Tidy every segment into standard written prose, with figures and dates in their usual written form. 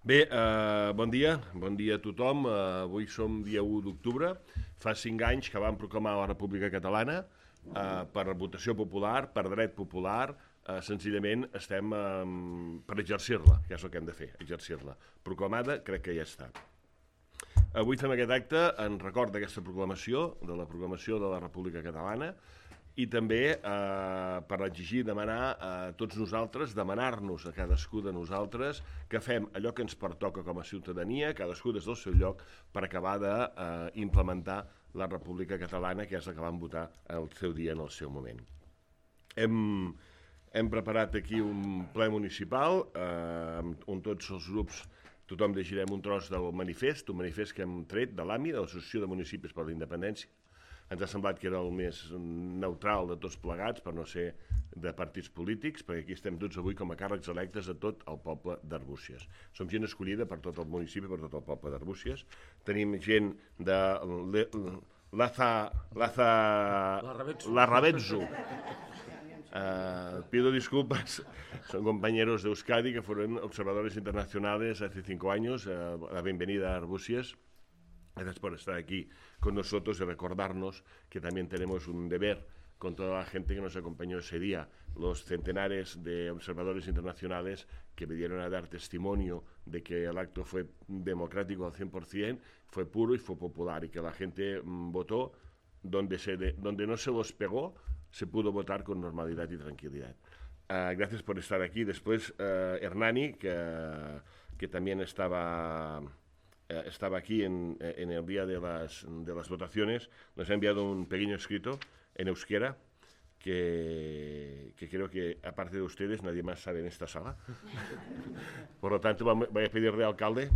Bé, bon dia a tothom. Avui som dia 1 d'octubre. Fa 5 anys que vam proclamar la República Catalana per votació popular, per dret popular. Senzillament estem per exercir-la, que és el que hem de fer, exercir-la. Proclamada, crec que ja està. Avui fem aquest acte en record d'aquesta proclamació, de la proclamació de la República Catalana, i també per exigir, demanar a tots nosaltres, demanar-nos a cadascú de nosaltres que fem allò que ens pertoca com a ciutadania, cadascú des del seu lloc, per acabar d'implementar la República Catalana, que és la que vam votar al seu dia, en el seu moment. Hem preparat aquí un ple municipal on tots els grups, tothom llegirem un tros del manifest, un manifest que hem tret de l'AMI, de l'Associació de Municipis per la Independència. Ens ha semblat que era el més neutral de tots plegats, per no ser de partits polítics, perquè aquí estem tots avui com a càrrecs electes de tot el poble d'Arbúcies. Som gent escollida per tot el municipi, per tot el poble d'Arbúcies. Tenim gent de la Ravetzu. Pido disculpas, son compañeros de Euskadi que fueron observadores internacionales hace 5 años. La bienvenida a Arbúcies. Gracias por estar aquí con nosotros y recordarnos que también tenemos un deber con toda la gente que nos acompañó ese día, los centenares de observadores internacionales que vinieron a dar testimonio de que el acto fue democrático al 100%, fue puro y fue popular, y que la gente votó donde no se los pegó, se pudo votar con normalidad y tranquilidad. Gracias por estar aquí. Después Hernani, que también estaba aquí en el día de las votaciones, nos ha enviado un pequeño escrito en euskera que creo que, aparte de ustedes, nadie más sabe en esta sala. Por lo tanto, voy a pedirle al alcalde,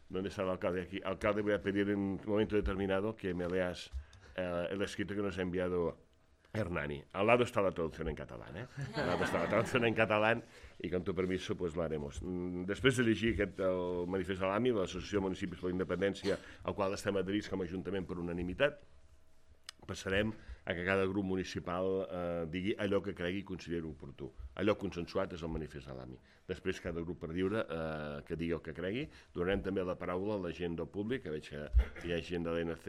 ¿dónde está el alcalde? Aquí. Alcalde, voy a pedir en un momento determinado que me leas el escrito que nos ha enviado Hernani. Al lado está la traducción en catalán, Al lado está la traducción en catalán, y con tu permiso pues lo haremos. Després de llegir el manifest de l'AMI, de l'Associació de Municipis per la Independència, al qual estem adherits com a Ajuntament per unanimitat, passarem a que cada grup municipal digui allò que cregui i consideri oportú. Allò consensuat és el manifest de l'AMI. Després cada grup per lliure que digui el que cregui. Donarem també la paraula a la gent del públic, que veig que hi ha gent de l'ENC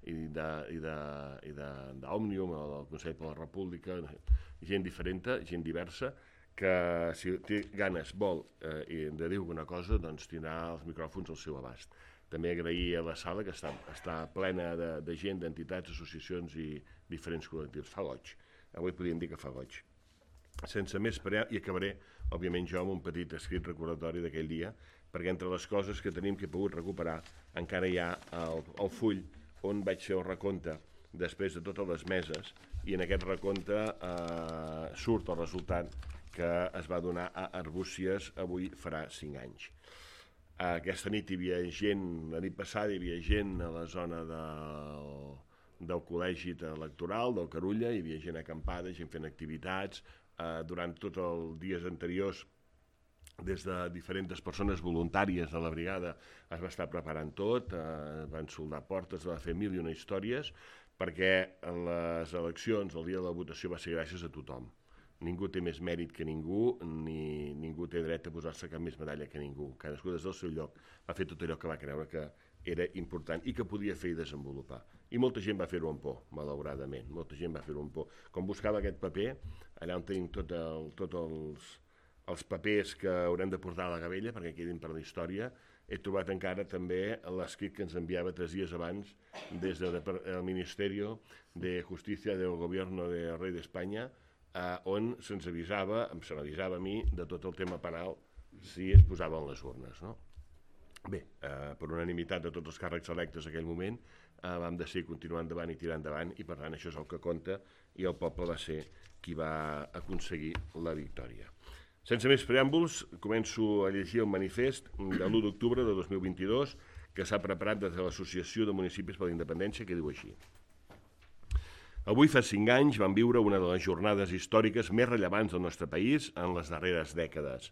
i d'Òmnium, del Consell per la República, gent diferent, gent diversa, que si té ganes, vol de dir alguna cosa, doncs tindrà els micròfons al seu abast. També agrair a la sala, que està plena de gent, d'entitats, associacions i diferents col·lectius. Fa goig. Avui podríem dir que fa goig. Sense més prear, i acabaré, òbviament jo, amb un petit escrit recordatori d'aquell dia, perquè entre les coses que tenim que he pogut recuperar, encara hi ha el full on vaig fer el recompte després de totes les meses, i en aquest recompte surt el resultat que es va donar a Arbúcies avui farà 5 anys. Aquesta nit hi havia gent, la nit passada hi havia gent a la zona del col·legi electoral, del Carulla, hi havia gent acampada, gent fent activitats. Durant tots els dies anteriors, des de diferents persones voluntàries de la brigada es va estar preparant tot, van soldar portes, va fer 1001 històries, perquè les eleccions, el dia de la votació, va ser gràcies a tothom. Ningú té més mèrit que ningú, ni ningú té dret a posar-se cap més medalla que ningú. Cadascú des del seu lloc va fer tot allò que va creure que era important i que podia fer i desenvolupar. I molta gent va fer-ho amb por, malauradament. Molta gent va fer-ho amb por. Com buscava aquest paper, allà on tenim tots els papers que haurem de portar a la gavella perquè quedin per la història, he trobat encara també l'escrit que ens enviava 3 dies abans des del Ministerio de Justicia del Gobierno del Rei d'Espanya, on se'ns avisava, se m'avisava a mi, de tot el tema penal si es posaven les urnes. Bé, per unanimitat de tots els càrrecs electes en aquell moment, vam decidir continuar endavant i tirar endavant, i per tant això és el que compta, i el poble va ser qui va aconseguir la victòria. Sense més preàmbuls, començo a llegir el manifest de l'1 d'octubre de 2022 que s'ha preparat des de l'Associació de Municipis per la Independència, que diu així. Avui fa 5 anys vam viure una de les jornades històriques més rellevants del nostre país en les darreres dècades.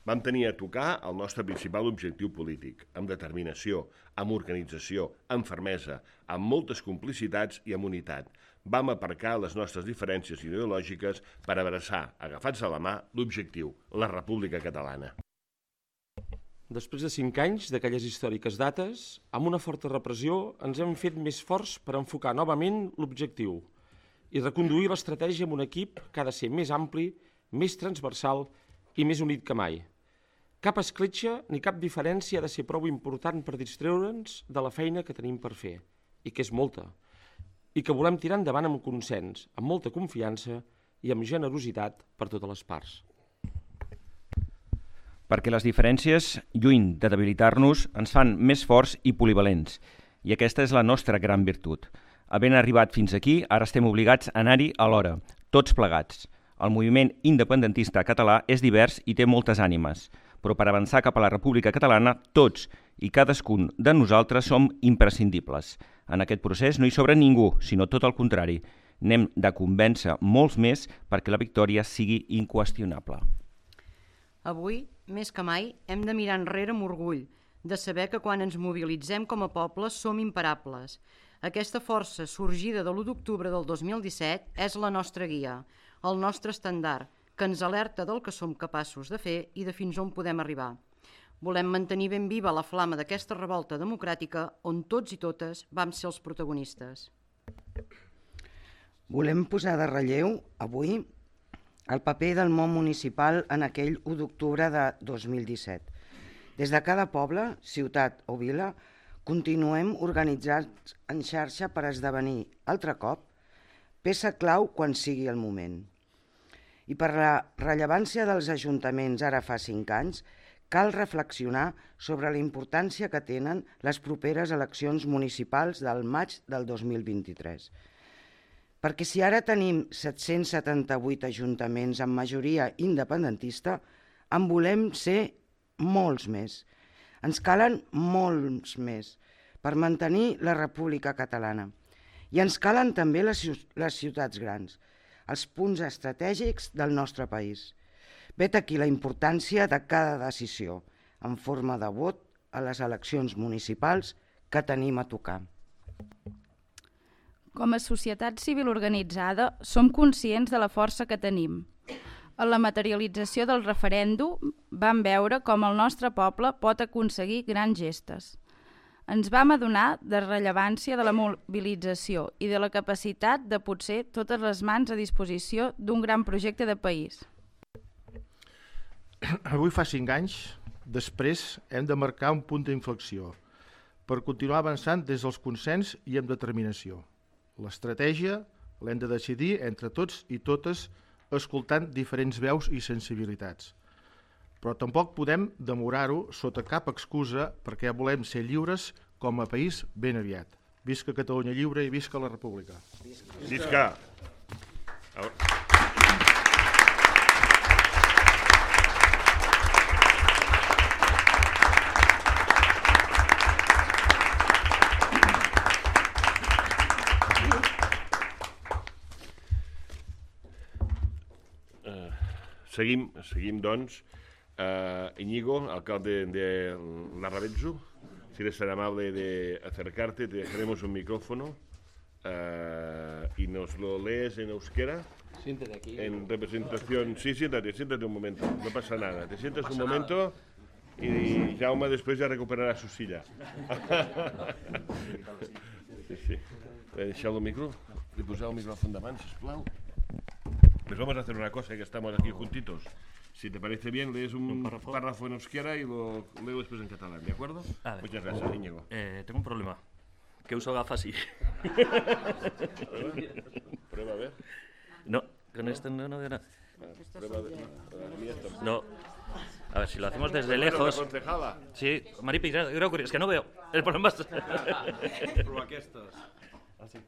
Vam tenir a tocar el nostre principal objectiu polític, amb determinació, amb organització, amb fermesa, amb moltes complicitats i amb unitat. Vam aparcar les nostres diferències ideològiques per abraçar, agafats a la mà, l'objectiu, la República Catalana. després de 5 anys d'aquelles històriques dates, amb una forta repressió ens hem fet més forts per enfocar novament l'objectiu i reconduir l'estratègia amb un equip que ha de ser més ampli, més transversal i més unit que mai. Cap escletxa ni cap diferència ha de ser prou important per distreure'ns de la feina que tenim per fer, i que és molta, i que volem tirar endavant amb consens, amb molta confiança i amb generositat per totes les parts. Perquè les diferències, lluny de debilitar-nos, ens fan més forts i polivalents, i aquesta és la nostra gran virtut. Havent arribat fins aquí, ara estem obligats a anar-hi alhora, tots plegats. El moviment independentista català és divers i té moltes ànimes, però per avançar cap a la República Catalana, tots i cadascun de nosaltres som imprescindibles. En aquest procés no hi sobra ningú, sinó tot el contrari. N'hem de convèncer molts més perquè la victòria sigui inqüestionable. Avui, més que mai, hem de mirar enrere amb orgull, de saber que quan ens mobilitzem com a poble som imparables. Aquesta força sorgida de l'1 d'octubre del 2017 és la nostra guia, el nostre estendard, que ens alerta del que som capaços de fer i de fins on podem arribar. Volem mantenir ben viva la flama d'aquesta revolta democràtica on tots i totes vam ser els protagonistes. Volem posar de relleu, avui, el paper del món municipal en aquell 1 d'octubre de 2017. Des de cada poble, ciutat o vila, continuem organitzats en xarxa per esdevenir, altre cop, peça clau quan sigui el moment. I per la rellevància dels ajuntaments ara fa 5 anys, cal reflexionar sobre la importància que tenen les properes eleccions municipals del maig del 2023. Perquè si ara tenim 778 ajuntaments amb majoria independentista, en volem ser molts més. Ens calen molts més per mantenir la República Catalana. I ens calen també les ciutats grans, els punts estratègics del nostre país. Vet aquí la importància de cada decisió en forma de vot a les eleccions municipals que tenim a tocar. Com a societat civil organitzada, som conscients de la força que tenim. En la materialització del referèndum vam veure com el nostre poble pot aconseguir grans gestes. Ens vam adonar de la rellevància de la mobilització i de la capacitat de potser totes les mans a disposició d'un gran projecte de país. Avui fa 5 anys, després hem de marcar un punt d'inflexió per continuar avançant des dels consens i amb determinació. L'estratègia l'hem de decidir entre tots i totes escoltant diferents veus i sensibilitats. Però tampoc podem demorar-ho sota cap excusa perquè volem ser lliures com a país ben aviat. Visca Catalunya lliure i visca la República. Visca! Seguim, doncs. Íñigo, alcalde de Larravetzu, si eres tan amable de acercarte, te dejaremos un micrófono y nos lo lees en euskera. Siéntate aquí. En representación. Sí, siéntate un momento, no pasa nada. Te sientas un momento y Jaume después ya recuperará su silla. Sí. Deixeu el micro, li poseu el micrófono davant, sisplau. Pues vamos a hacer una cosa, que estamos aquí juntitos. Si te parece bien, lees un párrafo en euskera y lo leo después en catalán, ¿de acuerdo? Vale. Muchas gracias, Íñigo. Tengo un problema, que uso gafas y... Prueba a ver. No, con esto no. Prueba de... No. A ver, si lo hacemos desde lejos... Sí, Maripi, es que no veo. El problema es... Prueba aquestes. Así.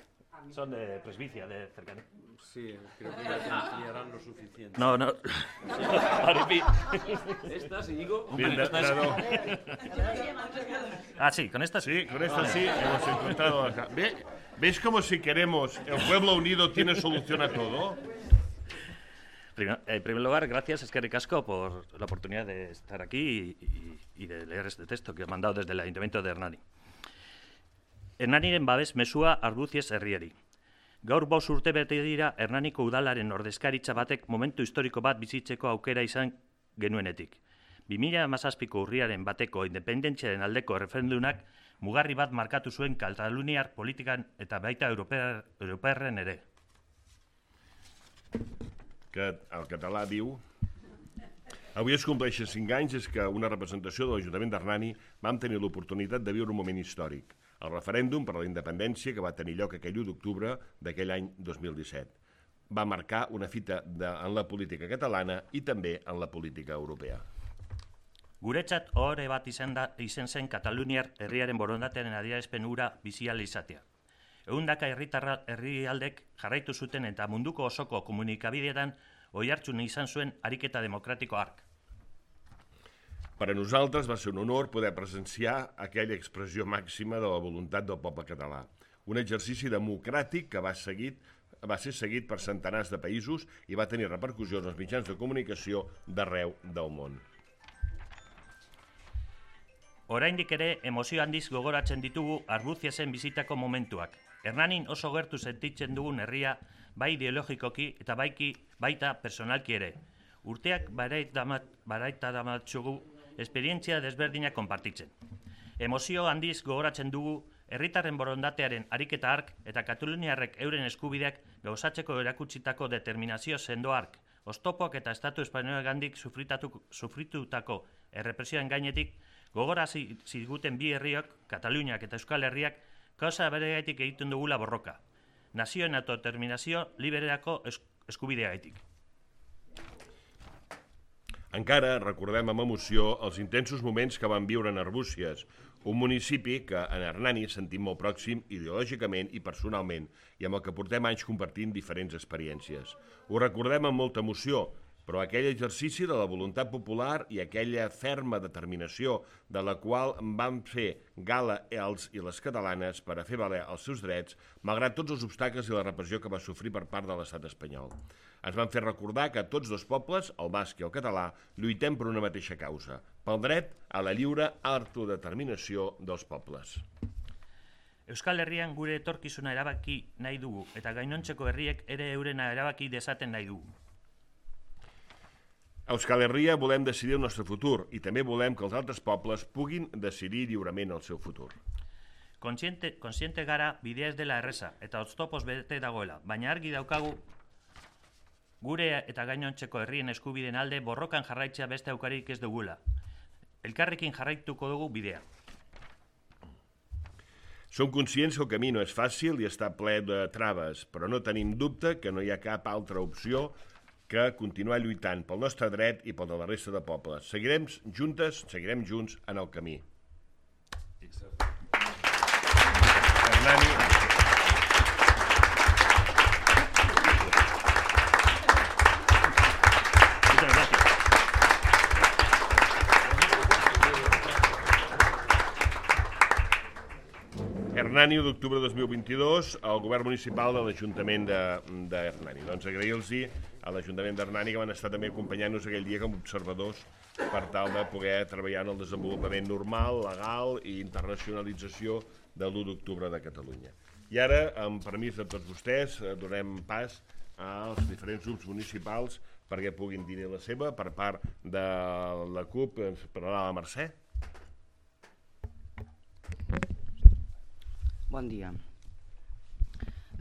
Son de presbicia, de cercanía. Sí, creo que ya te enseñarán lo suficiente. No. Maripi. ¿Estas, Íñigo? Bien, Ah, sí, con estas. Sí, con esta sí, hemos encontrado acá. ¿Ves como si queremos el pueblo unido tiene solución a todo? En primer lugar, gracias, Eskerrik Asko, por la oportunidad de estar aquí y de leer este texto que he mandado desde el Ayuntamiento de Hernani. Hernaniren babes mesua arduziez herriari. Gaur 5 urte bete dira Hernaniko udalaren ordezkaritza batek momentu historiko bat bizitzeko aukera izan genuenetik. 2017ko urriaren bateko independentziaren aldeko referendumak mugarri bat markatu zuen kataluniar politikan eta baita europearren ere. Que el català diu... Avui es compleixen 5 anys des que una representació de l'Ajuntament d'Hernani vam tenir l'oportunitat de viure un moment històric, el referèndum per a la independència que va tenir lloc aquell 1 d'octubre d'aquell any 2017. Va marcar una fita en la política catalana i també en la política europea. Guretzat ohore bat izen zen Kataluniar herriaren borondatearen adierazpen hura bizi ahal izatea. Ehundaka herrialdek jarraitu zuten eta munduko osoko komunikabideetan oihartzun izan zuen ariketa demokratiko hark. Per a nosaltres va ser un honor poder presenciar aquella expressió màxima de la voluntat del poble català. Un exercici democràtic que va ser seguit per centenars de països i va tenir repercussions als mitjans de comunicació d'arreu del món. Oraindik ere emozio handiz gogoratzen ditugu Arbuziasen bizitako momentuak. Hernanin oso gertu sentitzen dugun herria bai ideologikoki eta baita personalki ere. Urteak baraita damatzugu esperientzia desberdinak konpartitzen. Emozio handiz gogoratzen dugu herritarren borondatearen ariketa hark eta kataluniarrek euren eskubideak gauzatzeko erakutsitako determinazio sendo hark, oztopoak eta estatu espainolegandik sufritutako errepresioen gainetik gogorarazi ziguten bi herriok, Kataluniak eta Euskal Herriak, kausa beregaitik egiten dugula borroka. Nazioen autodeterminazio libererako eskubideagaitik. Encara recordem amb emoció els intensos moments que vam viure en Arbúcies, un municipi que en Hernani sentim molt pròxim ideològicament i personalment i amb el que portem anys compartint diferents experiències. Ho recordem amb molta emoció, però aquell exercici de la voluntat popular i aquella ferma determinació de la qual van fer gala els i les catalanes per a fer valer els seus drets, malgrat tots els obstacles i la repressió que va sofrir per part de l'estat espanyol. Ens van fer recordar que tots dos pobles, el basc i el català, lluitem per una mateixa causa, pel dret a la lliure autodeterminació dels pobles. Euskal Herrian gure etorkizuna erabaki nahi dugu eta gainontzeko herriek ere eurena erabaki dezaten nahi dugu. A Euskal Herria volem decidir el nostre futur i també volem que els altres pobles puguin decidir lliurement el seu futur. Kontziente gara bidea ez dela erreza eta oztopos bete dagoela, baina argi daukagu gure eta gainontzeko herrien eskubideen alde borrokan jarraitzea beste aukarik ez dugula. Elkarrekin jarraituko dugu bidea. Som conscients que el camí no és fàcil i està ple de traves, però no tenim dubte que no hi ha cap altra opció que continuar lluitant pel nostre dret i pel de la resta de pobles. Seguirem junts en el camí. Hernani. Hernani, d'octubre de 2022, el govern municipal de l'Ajuntament d'Hernani. Doncs agrair-los a l'Ajuntament d'Hernani que van estar també acompanyant-nos aquell dia com a observadors per tal de poder treballar en el desenvolupament normal, legal i internacionalització de l'1 d'octubre de Catalunya. I ara, amb permís de tots vostès, donem pas als diferents grups municipals perquè puguin dir la seva. Per part de la CUP ens parlarà la Mercè. Bon dia.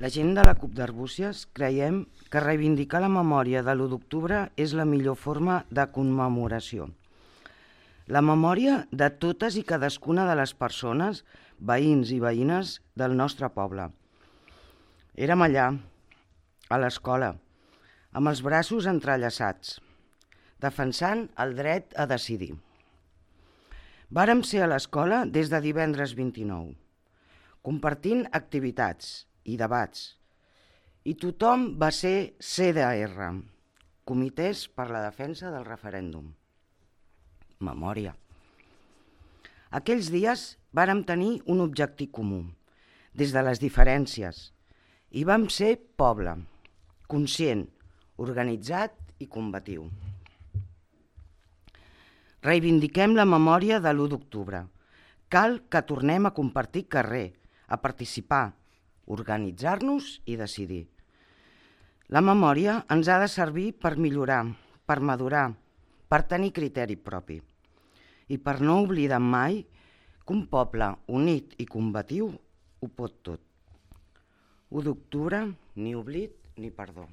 La gent de la CUP d'Arbúcies creiem que reivindicar la memòria de l'1 d'octubre és la millor forma de commemoració. La memòria de totes i cadascuna de les persones, veïns i veïnes del nostre poble. Érem allà, a l'escola, amb els braços entrellaçats, defensant el dret a decidir. Vàrem ser a l'escola des de divendres 29, compartint activitats i debats, i tothom va ser CDR, Comitès per la Defensa del Referèndum. Memòria. Aquells dies vàrem tenir un objectiu comú, des de les diferències, i vam ser poble, conscient, organitzat i combatiu. Reivindiquem la memòria de l'1 d'octubre. Cal que tornem a compartir carrer, a participar, organitzar-nos i decidir. La memòria ens ha de servir per millorar, per madurar, per tenir criteri propi. i per no oblidar mai que un poble unit i combatiu ho pot tot. 1 d'octubre, ni oblit ni perdó.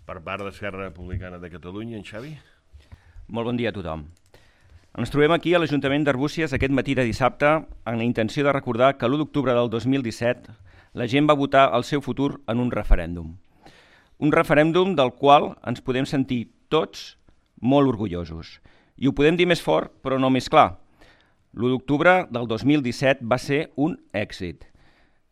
Per part d'Esquerra Republicana de Catalunya, en Xavi? Molt bon dia a tothom. Ens trobem aquí a l'Ajuntament d'Arbúcies aquest matí de dissabte amb la intenció de recordar que l'1 d'octubre del 2017 la gent va votar el seu futur en un referèndum. Un referèndum del qual ens podem sentir tots molt orgullosos. I ho podem dir més fort, però no més clar. L'1 d'octubre del 2017 va ser un èxit.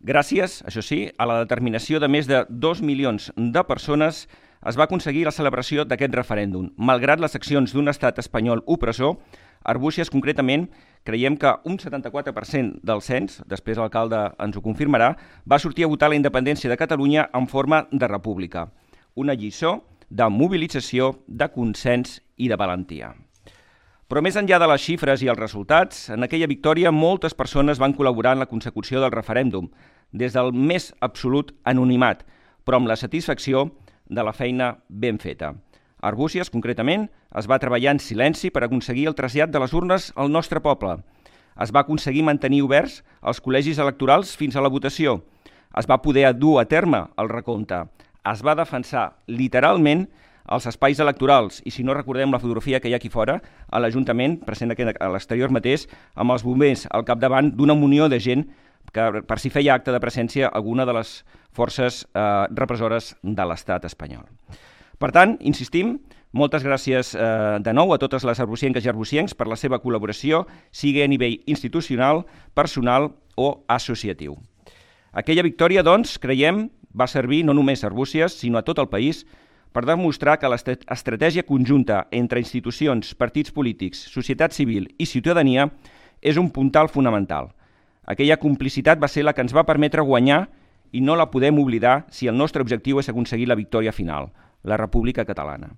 Gràcies, això sí, a la determinació de més de 2 milions de persones es va aconseguir la celebració d'aquest referèndum. Malgrat les accions d'un estat espanyol opressor, Arbúcies concretament creiem que un 74% del cens, després l'alcalde ens ho confirmarà, va sortir a votar la independència de Catalunya en forma de república. Una lliçó de mobilització, de consens i de valentia. Però més enllà de les xifres i els resultats, en aquella victòria moltes persones van col·laborar en la consecució del referèndum, des del més absolut anonimat, però amb la satisfacció de la feina ben feta. Arbúcies, concretament, es va treballar en silenci per aconseguir el trasllat de les urnes al nostre poble. Es va aconseguir mantenir oberts els col·legis electorals fins a la votació. Es va poder dur a terme el recompte. Es va defensar literalment els espais electorals i, si no recordem la fotografia que hi ha aquí fora, a l'Ajuntament, present aquí a l'exterior mateix, amb els bombers al capdavant d'una munió de gent que per si feia acte de presència alguna de les forces repressores de l'estat espanyol. Per tant, insistim, moltes gràcies de nou a totes les arbucienques i arbuciencs per la seva col·laboració, sigui a nivell institucional, personal o associatiu. Aquella victòria, doncs, creiem, va servir no només a Arbúcies, sinó a tot el país, per demostrar que l'estratègia conjunta entre institucions, partits polítics, societat civil i ciutadania és un puntal fonamental. Aquella complicitat va ser la que ens va permetre guanyar i no la podem oblidar si el nostre objectiu és aconseguir la victòria final, la República Catalana.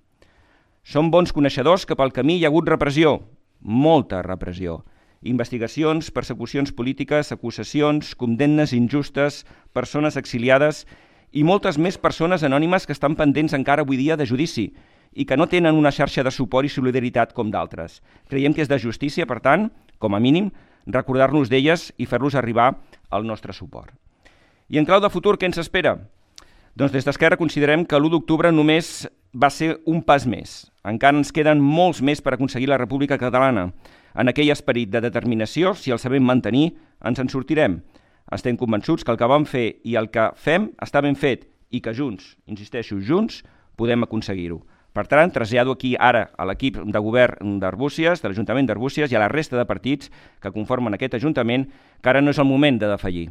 Som bons coneixedors que pel camí hi ha hagut repressió, molta repressió. Investigacions, persecucions polítiques, acusacions, condemnes injustes, persones exiliades i moltes més persones anònimes que estan pendents encara avui dia de judici i que no tenen una xarxa de suport i solidaritat com d'altres. Creiem que és de justícia, per tant, com a mínim, recordar-nos d'elles i fer-los arribar el nostre suport. I en clau de futur, què ens espera? Doncs des d'Esquerra considerem que l'1 d'octubre només va ser un pas més. Encara ens queden molts més per aconseguir la República Catalana. En aquell esperit de determinació, si el sabem mantenir, ens en sortirem. Estem convençuts que el que vam fer i el que fem està ben fet i que junts, insisteixo, junts, podem aconseguir-ho. Per tant, trasllado aquí ara a l'equip de govern d'Arbúcies, de l'Ajuntament d'Arbúcies i a la resta de partits que conformen aquest Ajuntament, que ara no és el moment de defallir,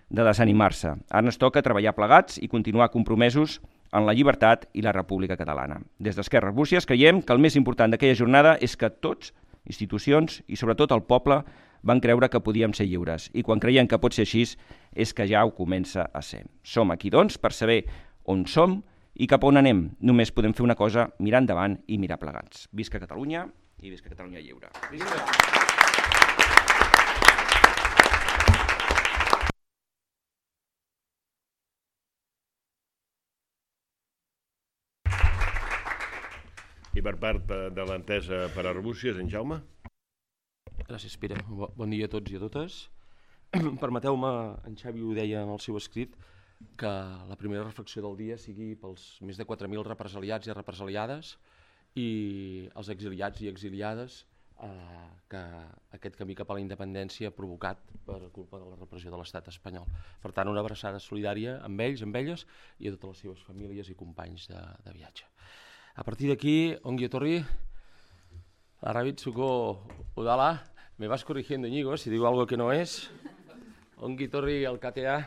de desanimar-se. Ara ens toca treballar plegats i continuar compromesos en la llibertat i la República Catalana. Des d'Esquerra Arbúcies creiem que el més important d'aquella jornada és que tots, institucions i sobretot el poble, van creure que podíem ser lliures. I quan creiem que pot ser així, és que ja ho comença a ser. Som aquí, doncs, per saber on som i cap on anem. Només podem fer una cosa, mirar endavant i mirar plegats. Visca Catalunya i visca Catalunya lliure. Visca! I per part de l'entesa per Arbúcies, en Jaume? Gràcies, Pere. Bon dia a tots i a totes. Permeteu-me, en Xavi ho deia en el seu escrit, que la primera reflexió del dia sigui pels més de 4.000 represaliats i represaliades i els exiliats i exiliades que aquest camí cap a la independència ha provocat per culpa de la repressió de l'estat espanyol. Per tant, una abraçada solidària amb ells, amb elles i a totes les seves famílies i companys de viatge. A partir d'aquí, ongi etorri, Larrabitzuko udala, me vas corrigiendo, Íñigo, si digo algo que no es. Ongi etorri alkatea,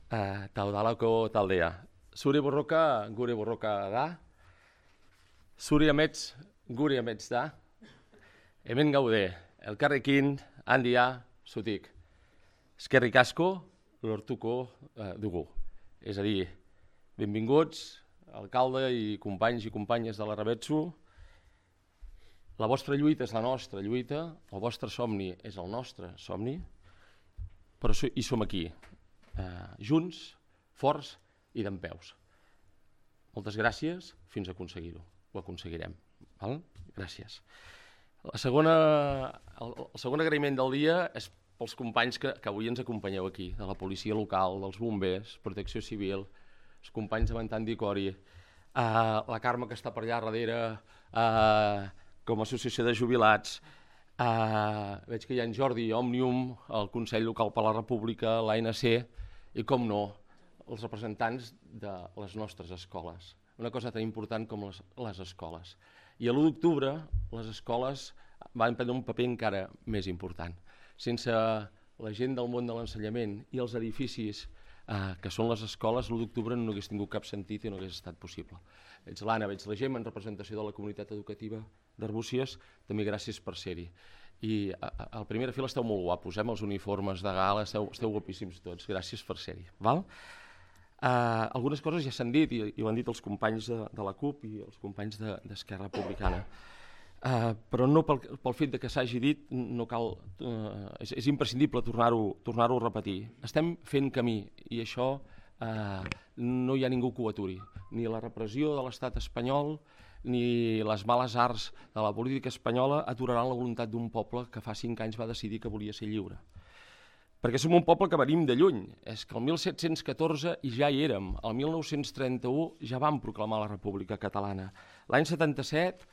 ta udalako taldea. Zure borroka, gure borroka da. Zure amets, gure amets da. Hemen gaude, elkarrekin, handia, zutik. Eskerrik asko, lortuko dugu. És a dir, benvinguts, alcalde i companys i companyes de l'Arrabetzu. La vostra lluita és la nostra lluita, el vostre somni és el nostre somni, però hi som aquí, junts, forts i dempeus. Moltes gràcies, fins a aconseguir-ho. Ho aconseguirem. Val? Gràcies. El segon agraïment del dia és pels companys que avui ens acompanyeu aquí, de la policia local, dels bombers, protecció civil, els companys de Mantant d'Icori, la Carme que està per allà darrere, com a associació de jubilats, veig que hi ha en Jordi, Òmnium, el Consell Local per la República, l'ANC i, com no, els representants de les nostres escoles. Una cosa tan important com les escoles. I a l'1 d'octubre les escoles van prendre un paper encara més important. Sense la gent del món de l'ensenyament i els edificis que són les escoles, l'1 d'octubre no hagués tingut cap sentit i no hagués estat possible. Veig l'Anna, veig la Gemma en representació de la comunitat educativa d'Arbúcies, també gràcies per ser-hi. I a la primera fila esteu molt guapos, amb els uniformes de gala, esteu guapíssims tots, gràcies per ser-hi. Algunes coses ja s'han dit i ho han dit els companys de la CUP i els companys d'Esquerra Republicana. Però no pel fet que s'hagi dit, no cal, és imprescindible tornar-ho a repetir. Estem fent camí i això no hi ha ningú que ho aturi. Ni la repressió de l'estat espanyol ni les males arts de la política espanyola aturaran la voluntat d'un poble que fa 5 anys va decidir que volia ser lliure. Perquè som un poble que venim de lluny. És que el 1714 ja hi érem, el 1931 ja vam proclamar la República Catalana. L'any 77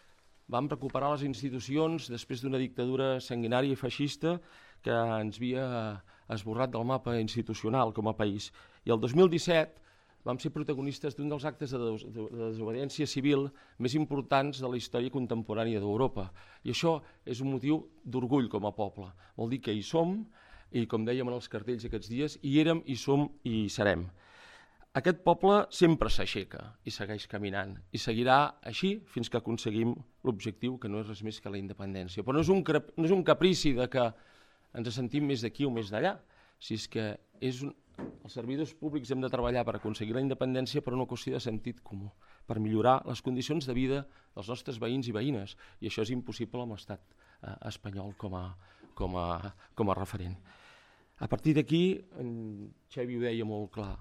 vam recuperar les institucions després d'una dictadura sanguinària i feixista que ens havia esborrat del mapa institucional com a país. I el 2017 vam ser protagonistes d'un dels actes de desobediència civil més importants de la història contemporània d'Europa. I això és un motiu d'orgull com a poble. Vol dir que hi som, i com dèiem en els cartells aquests dies, hi érem, hi som i hi serem. Aquest poble sempre s'aixeca i segueix caminant i seguirà així fins que aconseguim l'objectiu, que no és res més que la independència. Però no és un caprici de que ens sentim més d'aquí o més d'allà, si és que els servidors públics hem de treballar per aconseguir la independència per una qüestió de sentit comú, per millorar les condicions de vida dels nostres veïns i veïnes, i això és impossible amb l'estat espanyol com a referent. A partir d'aquí, en Xavi ho deia molt clar,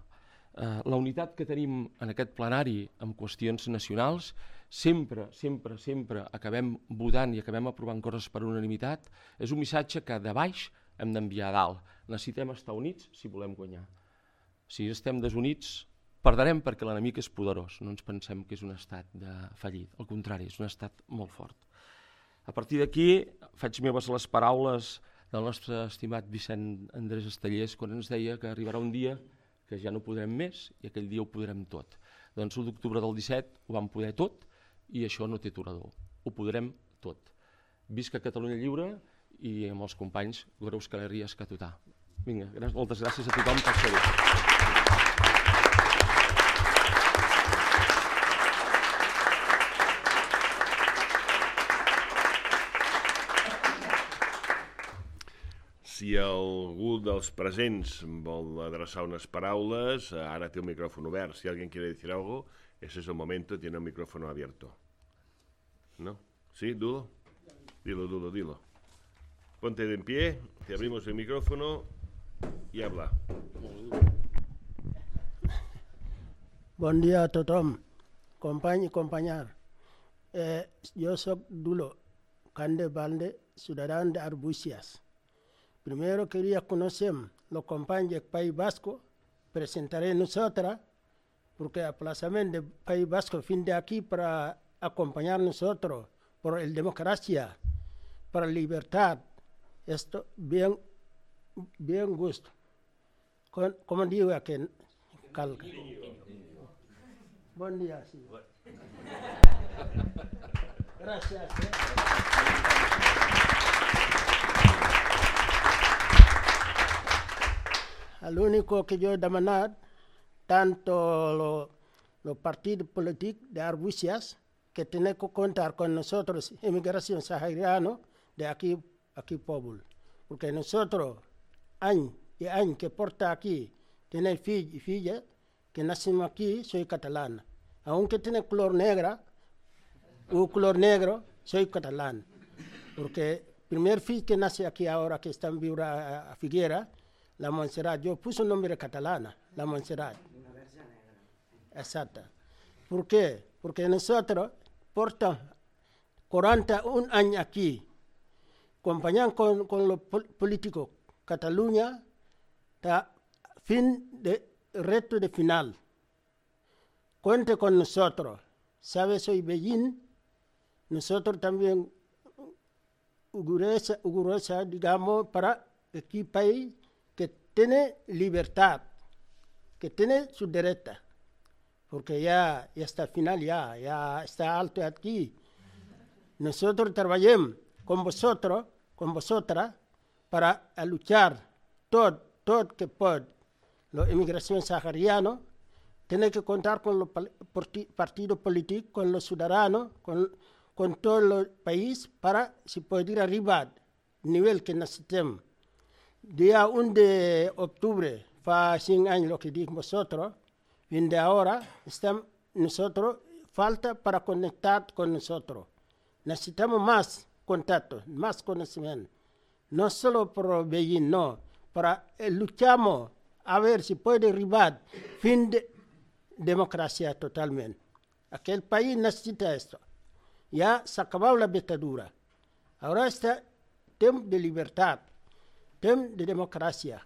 la unitat que tenim en aquest plenari amb qüestions nacionals, sempre acabem votant i acabem aprovant coses per unanimitat, és un missatge que de baix hem d'enviar a dalt. Necessitem estar units si volem guanyar. Si estem desunits, perdrem perquè l'enemic és poderós. No ens pensem que és un estat fallit. Al contrari, és un estat molt fort. A partir d'aquí, faig meves les paraules del nostre estimat Vicent Andrés Estellers quan ens deia que arribarà un dia que ja no podrem més i aquell dia ho podrem tot. Doncs l'1 d'octubre del 17 ho vam poder tot i això no té aturador. Ho podrem tot. Visca Catalunya lliure i amb els companys Graus Calerries Catutà. Vinga, moltes gràcies a tothom per ser-hi. Si algú dels presents vol adreçar unes paraules, ara té el micrófono obert. Si alguien quiere decir algo, ese es el momento, tiene el micrófono abierto. ¿No? ¿Sí, Dulo? Dilo, Dulo, dilo. Ponte de en pie, te abrimos el micrófono y habla. Bon dia a tothom, company i companyar. Jo soc Dulo Cande Balde, ciudadà d'Arbúcies. Primero quería conocer los compañeros del País Vasco, presentaré nosotros, porque el aplazamiento del País Vasco fin de aquí para acompañar nosotros por la democracia, para la libertad. Esto bien gusto. Como digo aquí en Calca. Buen día. Sí. Gracias. Lo único que yo he demandado, tanto los partidos políticos de Arbúcies, que tienen que contar con nosotros, inmigración sahariana, de aquí pueblo. Porque nosotros, año y año que porta aquí, tiene filho y filla, que nacimos aquí, soy catalana. Aunque tiene color negra, o color negro, soy catalán. Porque el primer filho que nace aquí ahora, que está en Viura a Figuera, la Montserrat. Yo puse un nombre catalana, la Montserrat. Exacto. ¿Por qué? Porque nosotros portamos 41 años aquí, acompañando con los políticos Cataluña, hasta fin de reto de final. Cuente con nosotros. ¿Sabe? Soy Beijing. Nosotros también orgullosa, digamos, para este país que tiene libertad, que tiene su derecho. Porque ya está al final, ya está alto aquí. Nosotros trabajamos con vosotros, con vosotras, para luchar todo que puede. La inmigración sahariana tiene que contar con los partidos políticos, con los ciudadanos, con todo el país para si poder ir arriba al nivel que necesitamos. Día 1 de octubre, hace 100 años lo que dijimos vosotros, de ahora estamos nosotros, falta para conectar con nosotros. Necesitamos más contacto, más conocimiento. No solo por Beijing, no. Para luchamos a ver si puede derribar fin de democracia totalmente. Aquel país necesita esto. Ya se acabó la dictadura. Ahora está tiempo de libertad, tiempo de democracia.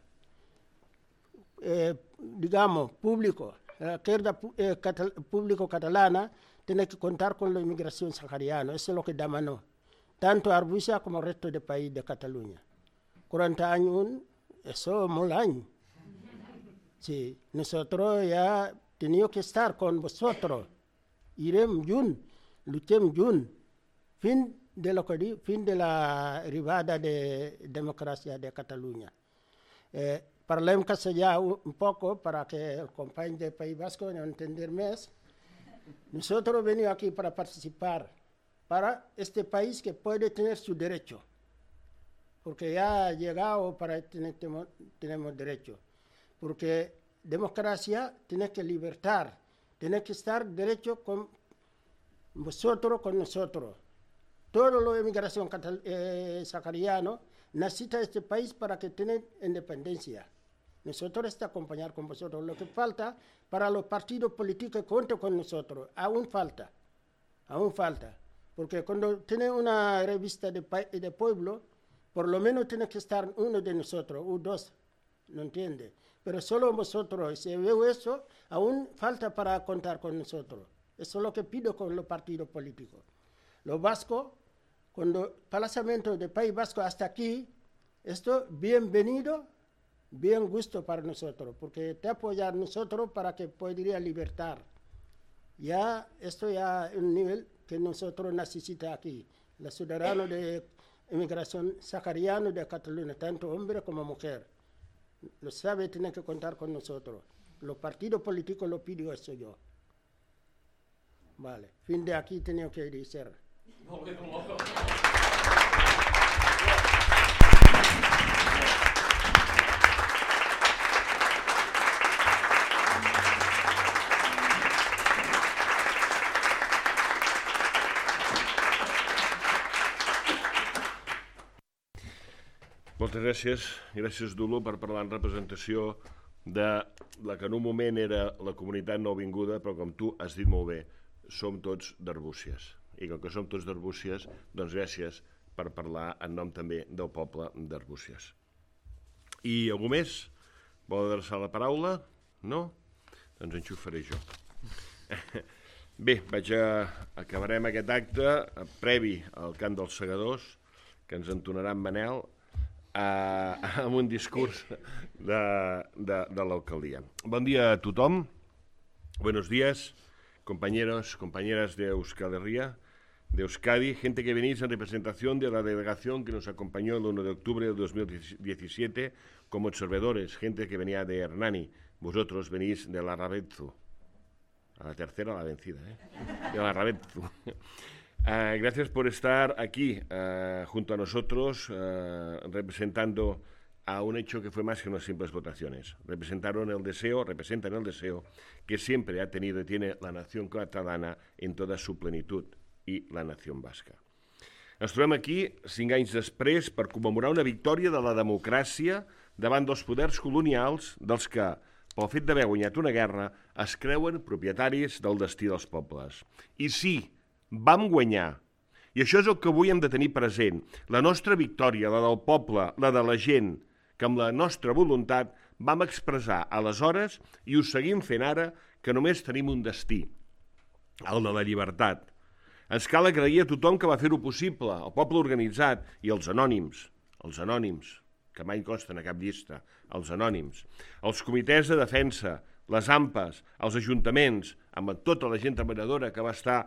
Digamos, público. La izquierda público catalana tiene que contar con la inmigración sahariana. Eso es lo que demandó. Tanto Arbusia como el resto del país de Cataluña. 40 años, eso es muy año. Sí, nosotros ya tenemos que estar con vosotros. Iremos juntos, luchemos juntos. Fin de la arribada de democracia de Cataluña. Parlem castellano un poco para que el compañero del País Vasco no entienda más. Nosotros venimos aquí para participar para este país que puede tener su derecho, porque ya ha llegado para tener tenemos derecho, porque democracia tiene que libertar, tiene que estar derecho con vosotros, con nosotros. Toda la inmigración sahariana necesita este país para que tenga independencia. Nosotros estamos acompañar con vosotros. Lo que falta para los partidos políticos que cuentan con nosotros, aún falta. Porque cuando tiene una revista de pueblo, por lo menos tiene que estar uno de nosotros, o dos, ¿no entiende? Pero solo vosotros, si veo eso, aún falta para contar con nosotros. Eso es lo que pido con los partidos políticos. Los vascos, cuando el desplazamiento del País Vasco hasta aquí, esto bienvenido, bien gusto para nosotros, porque te apoyar nosotros para que pueda libertar. Ya, esto ya es un nivel que nosotros necesitamos aquí. Los ciudadanos de inmigración sahariana de Cataluña, tanto hombre como mujer, lo sabe, tienen que contar con nosotros. Los partidos políticos lo pido eso yo. Vale, fin de aquí tengo que decir. Moltes gràcies. Gràcies, Dulo, per parlar en representació de la que en un moment era la comunitat nouvinguda, però com tu has dit molt bé, som tots d'Arbúcies. I com que som tots d'Arbúcies, doncs gràcies per parlar en nom també del poble d'Arbúcies. I algú més? Vol adreçar la paraula? No? Doncs ens ho faré jo. Bé, acabarem aquest acte previ al cant dels segadors, que ens entonarà en Manel, amb un discurs de l'alcaldia. Bon dia a tothom. Buenos días, compañeros, compañeras de Euskal Herria, de Euskadi, gente que venís en representación de la delegación que nos acompañó el 1 de octubre de 2017 como observadores, gente que venía de Hernani. Vosotros venís de la Rabetzu. A la tercera la vencida, de la Rabetzu. Gracias por estar aquí junto a nosotros representando a un hecho que fue más que unas simples votaciones. Representan el deseo que siempre ha tenido y tiene la nación catalana en toda su plenitud i la nació basca. Ens trobem aquí 5 anys després per commemorar una victòria de la democràcia davant dels poders colonials dels que, pel fet d'haver guanyat una guerra, es creuen propietaris del destí dels pobles. I sí, vam guanyar. I això és el que avui hem de tenir present. La nostra victòria, la del poble, la de la gent, que amb la nostra voluntat vam expressar aleshores i ho seguim fent ara, que només tenim un destí, el de la llibertat. Ens cal agrair a tothom que va fer-ho possible, el poble organitzat i els anònims, que mai consten a cap llista, els anònims, els comitès de defensa, les AMPAs, els ajuntaments, amb tota la gent treballadora que va estar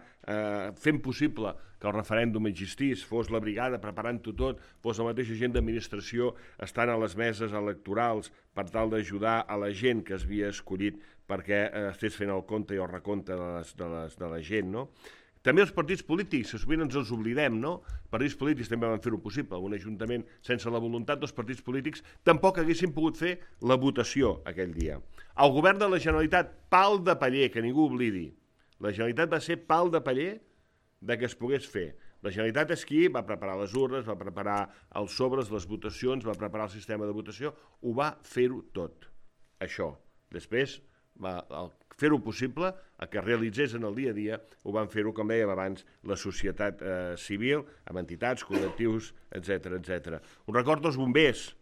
fent possible que el referèndum existís, fos la brigada preparant-ho tot, fos la mateixa gent d'administració estant a les meses electorals per tal d'ajudar a la gent que es havia escollit perquè estés fent el compte i el recompte de la gent, no? També els partits polítics, que sovint ens els oblidem, no? Els partits polítics també van fer-ho possible. Un ajuntament sense la voluntat dels partits polítics tampoc haguessin pogut fer la votació aquell dia. El govern de la Generalitat, pal de paller, que ningú oblidi. La Generalitat va ser pal de paller de que es pogués fer. La Generalitat és qui va preparar les urnes, va preparar els sobres, les votacions, va preparar el sistema de votació, ho va fer-ho tot, això. Després, fer-ho possible, el que realitzés en el dia a dia, ho van fer-ho, com dèiem abans, la societat civil, amb entitats, col·lectius, etc. Un record dels bombers,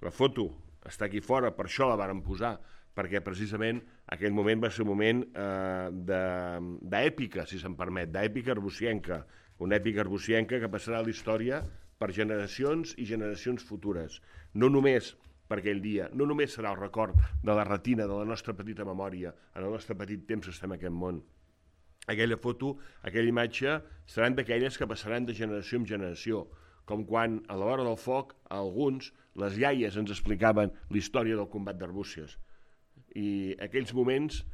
la foto està aquí fora, per això la vàrem posar, perquè precisament aquell moment va ser un moment d'èpica, si se'm permet, d'èpica arbusienca, una èpica arbusienca que passarà a la història per generacions i generacions futures. No només per aquell dia, no només serà el record de la retina de la nostra petita memòria, en el nostre petit temps que estem en aquest món. Aquella foto, aquella imatge, seran d'aquelles que passaran de generació en generació, com quan a l'hora del foc, a alguns, les iaies ens explicaven la història del combat d'Arbúcies. I aquells moments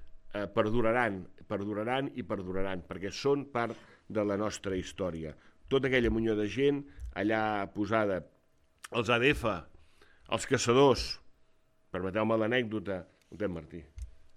perduraran, perquè són part de la nostra història. Tota aquella munió de gent allà posada, els ADF, els caçadors, permeteu-me l'anècdota, Martí.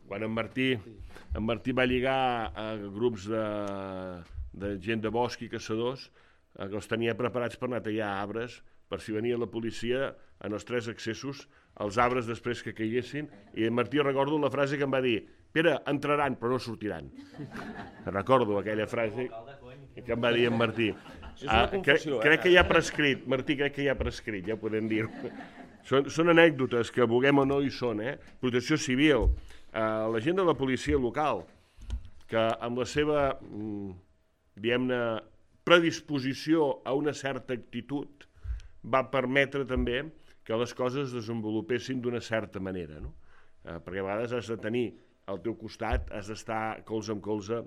Quan en Martí va lligar a grups de gent de bosc i caçadors, que els tenia preparats per anar a tallar arbres, per si venia la policia en els 3 accessos, els arbres després que caiguessin, i en Martí recordo la frase que em va dir: Pere, entraran però no sortiran. Recordo aquella frase que em va dir en Martí. Crec que ja ha prescrit, Martí, ja ho podem dir. Són anècdotes que vulguem o no hi són, Protecció Civil, la gent de la policia local, que amb la seva, diguem-ne, predisposició a una certa actitud va permetre també que les coses es desenvolupessin d'una certa manera, no? Perquè a vegades has de tenir al teu costat, has d'estar colze amb colze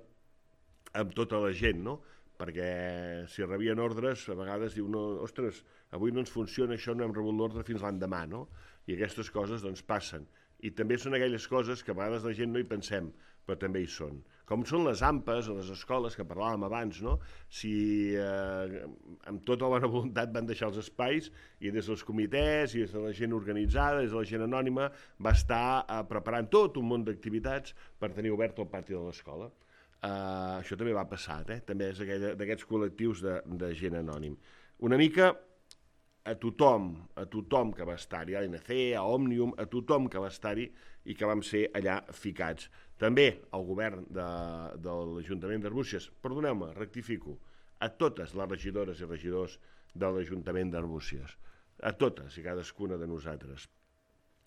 amb tota la gent, no? Perquè si rebien ordres, a vegades diu, no, ostres, avui no ens funciona això, no hem rebut l'ordre fins l'endemà, no? I aquestes coses, doncs, passen. I també són aquelles coses que a vegades la gent no hi pensem, però també hi són. Com són les AMPAs a les escoles, que parlàvem abans, no? Si amb tota la bona voluntat van deixar els espais i des dels comitès i des de la gent organitzada, des de la gent anònima, va estar preparant tot un munt d'activitats per tenir obert el pati de l'escola. Això també va passar, també és d'aquests col·lectius de gent anònim. Una mica a tothom que va estar-hi, a l'ANC, a Òmnium, a tothom que va estar-hi i que vam ser allà ficats. També al govern de l'Ajuntament d'Arbúcies, perdoneu-me, rectifico, a totes les regidores i regidors de l'Ajuntament d'Arbúcies, a totes i cadascuna de nosaltres.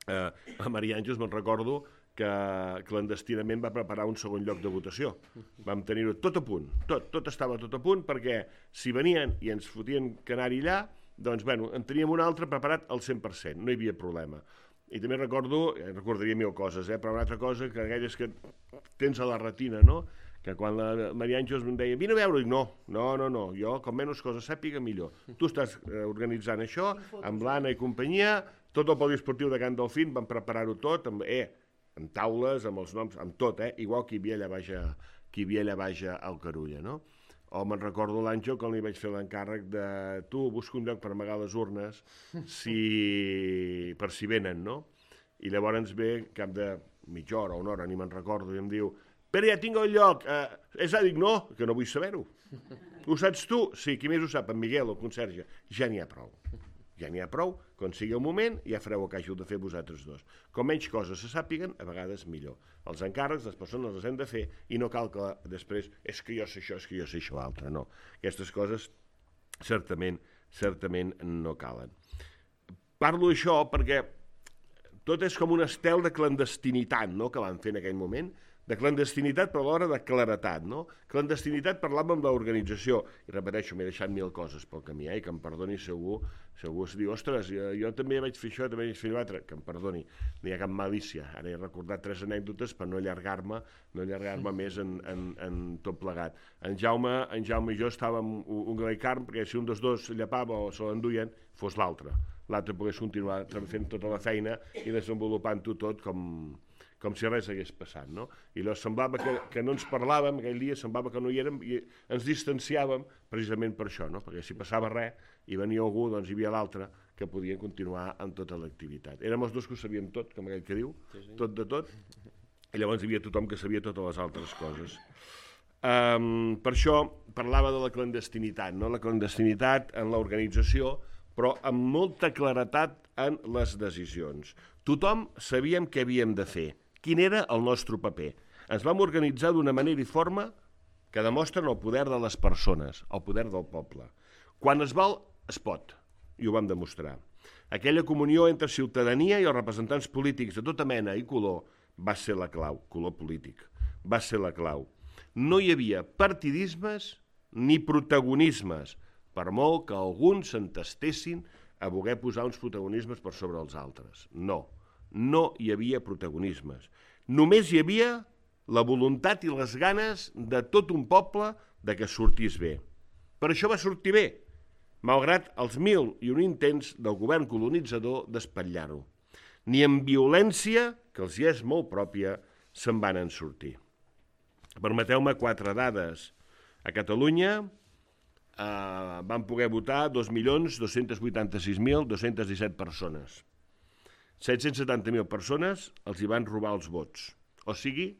A Maria Àngels me'n recordo que clandestinament va preparar un segon lloc de votació. Vam tenir-ho tot a punt, tot estava tot a punt, perquè si venien i ens fotien que anar-hi allà, doncs, bueno, en teníem un altre preparat al 100%, no hi havia problema. I també recordaria 1000 coses, però una altra cosa, que aquelles que tens a la retina, no?, que quan la Maria Àngels em deia, vine a veure, dic, no, jo com menys coses sàpiga millor. Tu estàs organitzant això, amb l'Anna i companyia, tot el poliesportiu de Can Delfín, vam preparar-ho tot, amb taules, amb els noms, amb tot, igual que hi havia allà baix al Carulla, no? O me'n recordo l'Àngel quan li vaig fer l'encàrrec de tu, busca un lloc per amagar les urnes per si venen, no? I llavors ve cap de mitja hora o una hora, ni me'n recordo, i em diu, Pere, ja tinc el lloc. Dic, no, que no vull saber-ho. Ho saps tu? Sí, qui més ho sap? En Miguel, el conserge. Ja n'hi ha prou. Ja n'hi ha prou, quan sigui el moment ja fareu el que hàgiu de fer vosaltres dos. Com menys coses se sàpiguen, a vegades millor. Els encàrrecs, les persones les hem de fer i no cal que després és que jo sé això, és que jo sé això altre. No, aquestes coses certament no calen. Parlo d'això perquè tot és com un estel de clandestinitat, no?, que van fer en aquell moment, de clandestinitat però alhora de claretat, no? Clandestinitat parlàvem de l'organització, i repeteixo, m'he deixat 1000 coses pel camí, i que em perdoni segur es diu, ostres, jo també vaig fer això, també vaig fer l'altre, que em perdoni, no hi ha cap malícia. Ara he recordat 3 anècdotes per no allargar-me més en tot plegat. En Jaume i jo estàvem un gra i carn, perquè si un dels dos llapava o se l'enduien, fos l'altre pogués continuar fent tota la feina i desenvolupant-ho tot com si res hagués passat, no? I llavors semblava que no ens parlàvem, aquell dia semblava que no hi érem i ens distanciàvem precisament per això, no? Perquè si passava res i venia algú, doncs hi havia l'altre que podia continuar amb tota l'activitat. Érem els dos que ho sabíem tot, com aquell que diu, tot de tot, i llavors hi havia tothom que sabia totes les altres coses. Per això parlava de la clandestinitat, no? La clandestinitat en l'organització, però amb molta claretat en les decisions. Tothom sabíem què havíem de fer, quin era el nostre paper. Ens vam organitzar d'una manera i forma que demostren el poder de les persones, el poder del poble. Quan es vol, es pot, i ho vam demostrar. Aquella comunió entre ciutadania i els representants polítics de tota mena i color va ser la clau, color polític, va ser la clau. No hi havia partidismes ni protagonismes, per molt que alguns s'entestessin a voler posar uns protagonismes per sobre els altres. No hi havia protagonismes. Només hi havia la voluntat i les ganes de tot un poble de que sortís bé. Per això va sortir bé, malgrat els 1001 intents del govern colonitzador d'espatllar-ho. Ni amb violència, que els hi és molt pròpia, se'n van en sortir. Permeteu-me 4 dades. A Catalunya van poder votar 2.286.217 persones. 770.000 persones els hi van robar els vots. O sigui,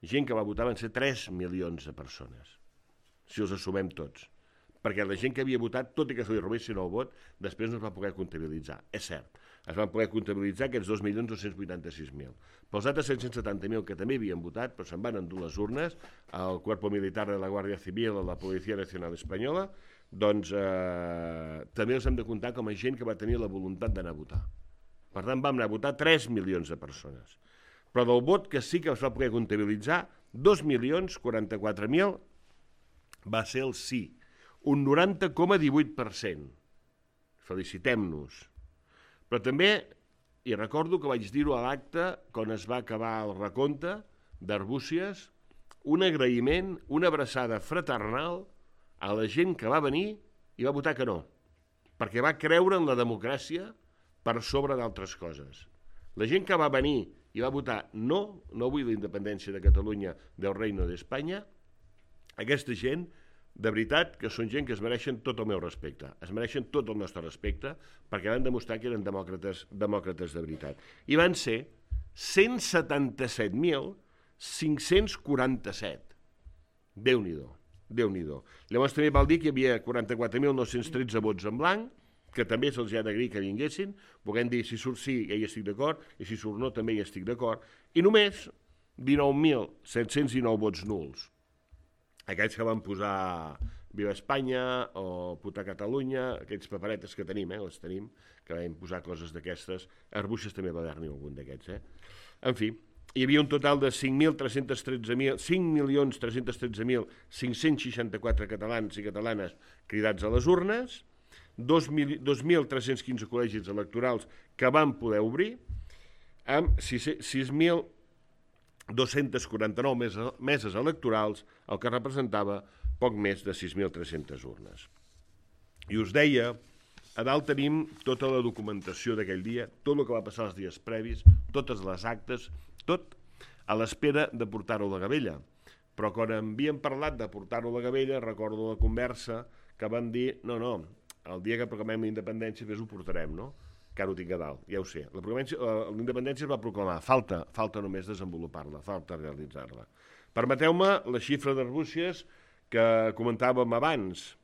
gent que va votar van ser 3 milions de persones, si els assumem tots. Perquè la gent que havia votat, tot i que se li robessin el vot, després no es va poder comptabilitzar. És cert, es van poder comptabilitzar aquests 2.286.000. Pels altres 770.000 que també havien votat, però se'n van endur les urnes, al Cuerpo Militar de la Guàrdia Civil, a la Policia Nacional Espanyola, doncs també els hem de comptar com a gent que va tenir la voluntat d'anar a votar. Per tant, vam anar a votar 3 milions de persones. Però del vot que sí que es va poder comptabilitzar, 2.044.000 va ser el sí, un 90,18%. Felicitem-nos. Però també, i recordo que vaig dir-ho a l'acte quan es va acabar el recompte d'Arbúcies, un agraïment, una abraçada fraternal a la gent que va venir i va votar que no, perquè va creure en la democràcia per sobre d'altres coses. La gent que va venir i va votar no vull la independència de Catalunya del Reino d'Espanya, aquesta gent, de veritat, que són gent que es mereixen tot el meu respecte, es mereixen tot el nostre respecte, perquè van demostrar que eren demòcrates de veritat. I van ser 177.547. Déu-n'hi-do, Déu-n'hi-do. Llavors també val dir que hi havia 44.913 vots en blanc, que també se'ls ha d'agrair que vinguessin, volem dir, si surt sí, ja hi estic d'acord, i si surt no, també hi estic d'acord, i només 19.719 vots nuls. Aquells que van posar Viva Espanya o Puta Catalunya, aquells paperetes que tenim, les tenim, que vam posar coses d'aquestes. A Arbúcies també va haver-n'hi algun d'aquests. En fi, hi havia un total de 5.313.564 catalans i catalanes cridats a les urnes, 2.315 col·legis electorals que van poder obrir, amb 6.249 meses electorals, el que representava poc més de 6.300 urnes. I us deia, a dalt tenim tota la documentació d'aquell dia, tot el que va passar els dies previs, totes les actes, tot a l'espera de portar-ho a la gavella. Però quan havíem parlat de portar-ho a la gavella, recordo la conversa que van dir, no, el dia que proclamem la independència ho portarem, no? Que ara ho tinc a dalt, ja ho sé. La independència es va proclamar, falta només desenvolupar-la, falta realitzar-la. Permeteu-me la xifra d'Arbúcies que comentàvem abans.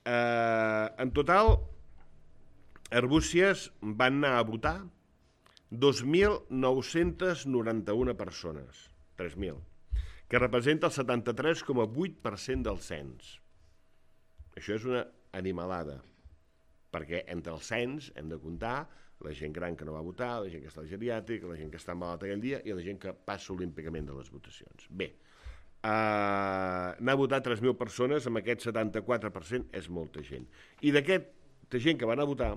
En total, Arbúcies van anar a votar 2.991 persones, 3.000, que representa el 73,8% del cens. Això és una animalada, perquè entre el cens hem de comptar la gent gran que no va votar, la gent que està al geriàtric, la gent que està malalta aquell dia i la gent que passa olímpicament de les votacions. Bé, anar a votar 3.000 persones amb aquest 74% és molta gent. I d'aquesta gent que van a votar,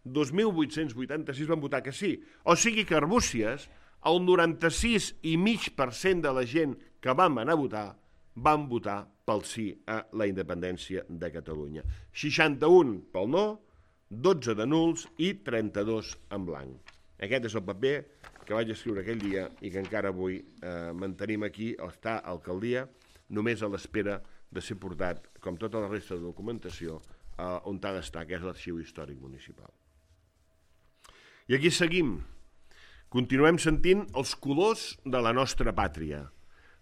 2.886 van votar que sí. O sigui que a Arbúcies, el 96,5% de la gent que vam anar a votar van votar pel sí a la independència de Catalunya. 61 pel no, 12 de nuls i 32 en blanc. Aquest és el paper que vaig escriure aquell dia i que encara avui mantenim aquí, està a l'alcaldia, només a l'espera de ser portat, com tota la resta de documentació, on ha d'estar, que és l'Arxiu Històric Municipal. I aquí seguim. Continuem sentint els colors de la nostra pàtria.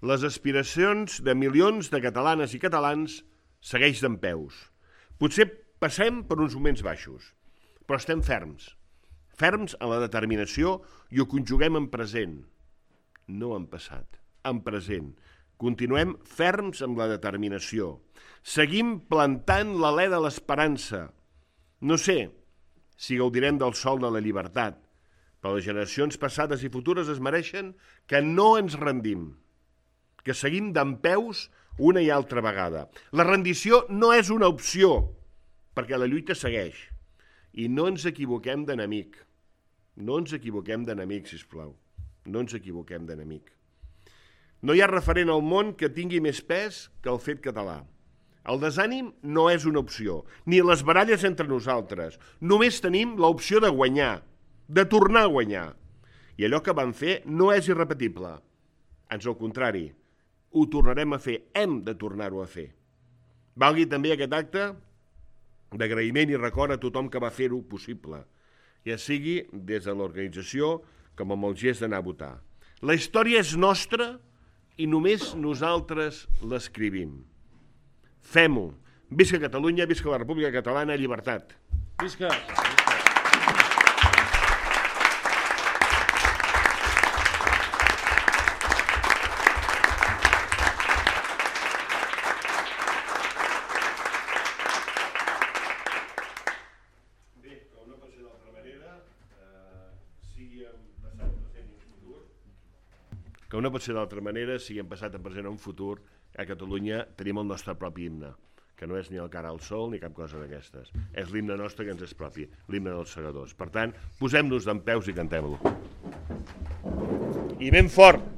Les aspiracions de milions de catalanes i catalans segueix dempeus. Potser passem per uns moments baixos, però estem ferms en la determinació i ho conjuguem en present, no en passat, en present. Continuem ferms amb la determinació. Seguim plantant l'alè de l'esperança. No sé si gaudirem del sol de la llibertat, però les generacions passades i futures es mereixen que no ens rendim, que seguim dempeus una i altra vegada. La rendició no és una opció, perquè la lluita segueix. I no ens equivoquem d'enemic. No ens equivoquem d'enemic, sisplau. No ens equivoquem d'enemic. No hi ha referent al món que tingui més pes que el fet català. El desànim no és una opció, ni les baralles entre nosaltres. Només tenim l'opció de guanyar, de tornar a guanyar. I allò que vam fer no és irrepetible. Ans al contrari, ho tornarem a fer, hem de tornar-ho a fer. Valgui també aquest acte d'agraïment i record a tothom que va fer-ho possible, ja sigui des de l'organització com amb el gest d'anar a votar. La història és nostra i només nosaltres l'escrivim. Fem-ho. Visca Catalunya, visca la República Catalana, llibertat. Visca! Que no pot ser d'altra manera, sigui en passat, en present o en futur, a Catalunya tenim el nostre propi himne, que no és ni el cara al sol ni cap cosa d'aquestes. És l'himne nostre que ens és propi, l'himne dels segadors. Per tant, posem-nos dempeus i cantem-lo. I ben fort!